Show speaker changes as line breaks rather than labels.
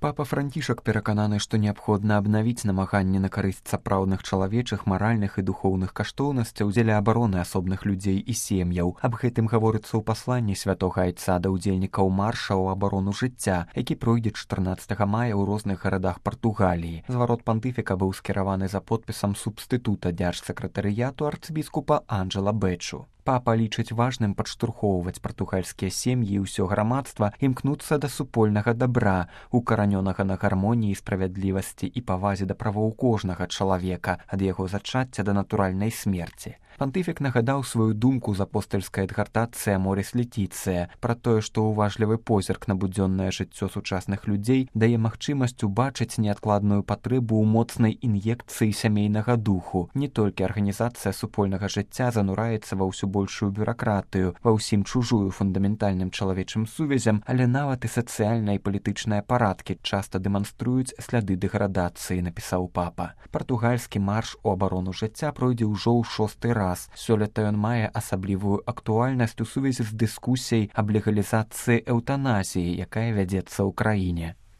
Папа Францішак перакананы, што неабходна абнавіць намаганні на карысць сапраўдных чалавечых, маральных і духоўных каштоўнасцяў дзеля абароны асобных людзей і сем'яў. Аб гэтым гаворыцца ў пасланні святога айца да ўдзельнікаў марша ў абарону жыцця, які пройдзе 14 мая ў розных гарадах Партугаліі. Зварот пантыфіка быў скіраваны за подпісам субстытута дзяржсакратарыяту арцыбіскупа Анджела Бэчу. Папа лічыць важным падштурхоўваць партугальскія сем'і і ўсё грамадства імкнуцца да супольнага дабра, укаранёнага на гармоніі, справядлівасці і павазе да правоў кожнага чалавека, ад яго зачацця да натуральнай смерці. Пантыфік нагадаў сваю думку з апостальскай адгартацыі Аморіс Летіцыя пра тое, што ўважлівы позірк на будзённае жыццё сучасных людзей дае магчымасць убачыць неадкладную патрэбу ў моцнай ін'екцыі сямейнага духу. Не толькі арганізацыя супольнага жыцця занураецца ва ўсё большую бюракратыю, ва ўсім чужую фундаментальным чалавечым сувязям, але нават і сацыяльныя і палітычныя парадкі часта дэманструюць сляды дэградацыі, напісаў папа. Партугальскі марш у абарону жыцця пройдзе ўжо ў 6-й раз. Сёлета ён мае асаблівую актуальнасць у сувязі з дыскусіяй аб легалізацыі эўтаназіі, якая вядзецца ў краіне.